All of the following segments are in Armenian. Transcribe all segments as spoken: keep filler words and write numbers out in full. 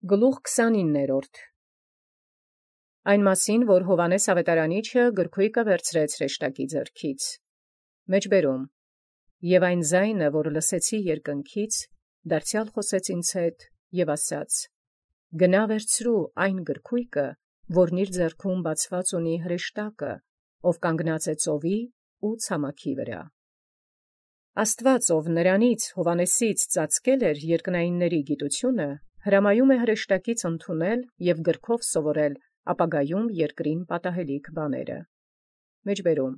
Գլուխ քսանիններորդ. Այն մասին, որ Հովհաննես Ավետարանիչը գրքոյկը վերցրեց հրեշտակի ձեռքից, մեջբերում, և այն ձայնը, որ լսեցի երկնքից, դարձյալ խոսեց ինձ հետ և ասաց. գնա վերցրու այն գրքոյկը, որն իր ձեռքում բացված ունի հրեշտակը, ով կանգնած է ծովի ու ցամաքի վրա։ Աստված, ով նրանից Հովհաննեսից ծածկել էր երկնայինների գիտությունը, հրամայում է հրեշտակից ընդունել և գրքով սովորել ապագայում երկրին պատահելիք բաները։ Մեջբերում.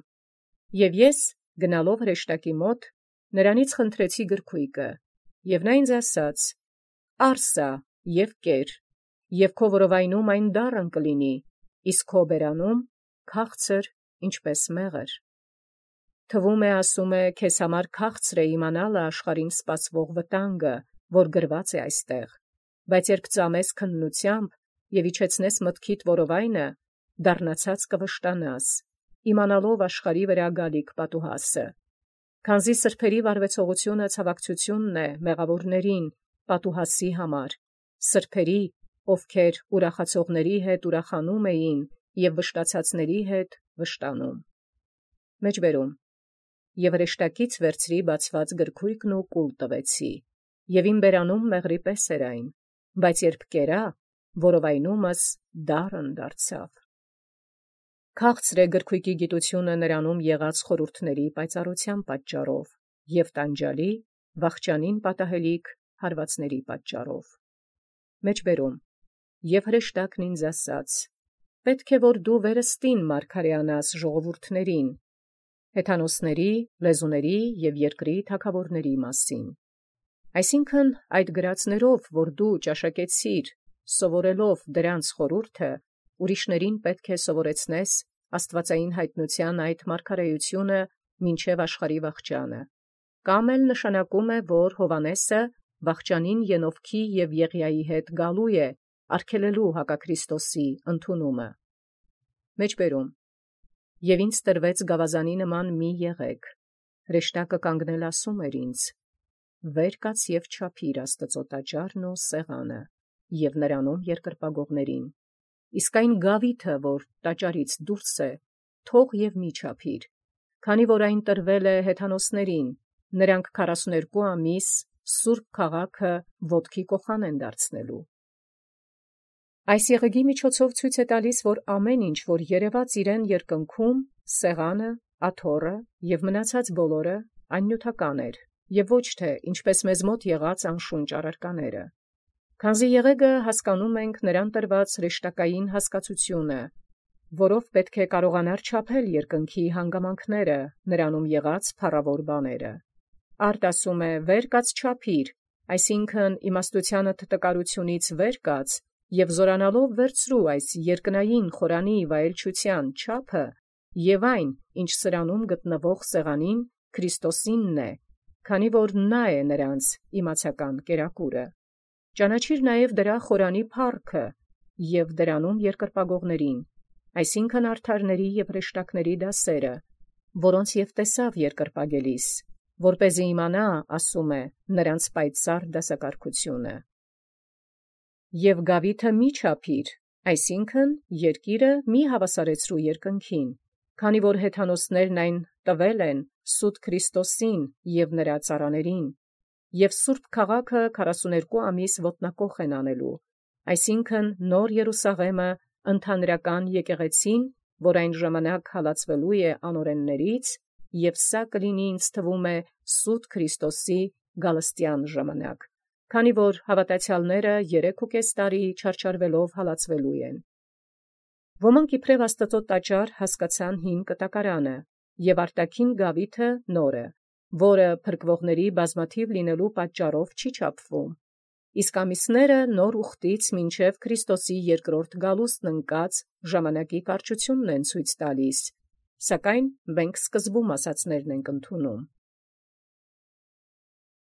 Եւ ես գնալով հրեշտակի մոտ նրանից խնդրեցի գրքոյկը, և նա ինձ ասաց. «Առ սա և կեր, և քո որովայնում այն դառն կլինի, իսկ քո բերանում քաղցր, ինչպես մեղր»։ Թվում է, ասում է, քեզ համար քաղցր է իմանալը աշխարհին սպասվող վտանգը, որ գրված է այստեղ, բայց երբ ծամես քննութեամբ և իջեցնես մտքիդ որովայնը, դառնացած կվշտանաս, իմանալով աշխարհի վրա գալիք պատուհասը։ Քանզի սրբերի վարվեցողությունը ցավակցությունն է մեղավորներին պատուհասի համար, սրբերի, ովքեր ուրախացողների հետ ուրախանում էին և վշտացածների հետ վշտանում։ Մեջբերում. Եւ հրեշտակից վերցրի բացված գրքոյկն ու կուլ տվեցի, և իմ բերանում մեղրի պես էր այն, բայց երբ կերա, որովայնումս դառն դարձավ։ Քաղցր է գրքոյկի գիտությունը նրանում եղած խորհուրդների պայծառության պատճառով և տանջալի վախճանին պատահելիք հարվածների պատճառով։ Մեջբերում. Եւ հրեշտակն ինձ ասաց. պետք է որ դու վերստին մարգարեանաս ժողովուրդներին, հեթանոսների, լեզուների և երկրի թագաւորների մասին։ Այսինքն այդ գրածներով, որ դու ճաշակեցիր, սովորելով դրանց խորհուրդը, ուրիշներին պետք է սովորեցնես աստուածային յայտնութեան այդ մարգարեությունը մինչև աշխարհի վախճանը, կամ էլ նշանակում է, որ Հովհաննեսը վախճանին Ենովքի և Եղիայի հետ գալու է արգելելու հակաքրիստոսի ընդունումը։ Մեջբերում. Եւ ինձ տրվեց գավազանի նման մի եղեգ, հրեշտակը կանգնել ասում էր ինձ. վեր կաց և չափիր Աստուծոյ տաճարն ու սեղանը, և նրանում երկրպագողներին, իսկ այն գաւիթը, որ տաճարից դուրս է, թող և մի չափիր, քանի որ այն տրվել է հեթանոսներին, նրանք քառասունութ ամիս սուրբ քաղաքը ոտքի կոխան են դարձնելու։ Այս եղեգի միջոցով ցույց է տալիս, որ ամեն ինչ, որ երևաց իրեն երկնքում, սեղանը, աթոռը և մնացած բոլորը, այն նիւթական էր, և ոչ թե, ինչպես մեզ մոտ եղած անշունչ առարկաները։ Քանզի եղեգը հասկանում ենք նրան տրված հրեշտակային հասկացությունը, որով պետք է կարողանար չափել երկնքի հանգամանքները, նրանում եղած փառաւոր բաները։ Արդ ասում է. վեր կաց չափիր, այսինքն իմաստութեանդ տկարութիւնից վեր կաց և զորանալով վերցրու այս երկնային խորանի վայելչութեան չափը և այն, ինչ սրանում գտնվող սեղանին, Քրիստոսինն է, քանի որ նա է նրանց իմացական կերակուրը։ Ճանաչիր նաև դրա խորանի փառքը և դրանում երկրպագողներին, այսինքն արդարների և հրեշտակների դասերը, որոնց և տեսաւ երկրպագելիս, որպեսզի իմանա, ասում է, նրանց պայծառ դասակարգությունը։ Եւ գաւիթը մի չափիր, այսինքն երկիրը մի հաւասարեցրու երկնքին, քանի որ հեթանոսներն այն տվել են սուտ Քրիստոսին և նրա ծառաներին, և սուրբ քաղաքը քառասունութ ամիս ոտնակոխ են անելու, այսինքն նոր Երուսաղէմը ընդհանրական եկեղեցին, որ այն ժամանակ հալածվելու է անօրեններից, և սա կլինի ինձ թվում է սուտ Քրիստոսի գալստեան ժամանակ, քանի որ հաւատացեալները երեքուկես տարի չարչարվելով հալածվելու են։ Ոմանք իբրև Աստուծոյ տաճար հասկացան հին կտակարանը և արտաքին գաւիթը նորը, որը փրկվողների բազմաթիւ լինելու պատճառով չի չափվում, իսկ ամիսները նոր ուխտից մինչև Քրիստոսի երկրորդ գալուստն ընկած ժամանակի կարճությունն են ցույց տալիս, սակայն մենք սկզբում ասացելոցն ենք ընդունում։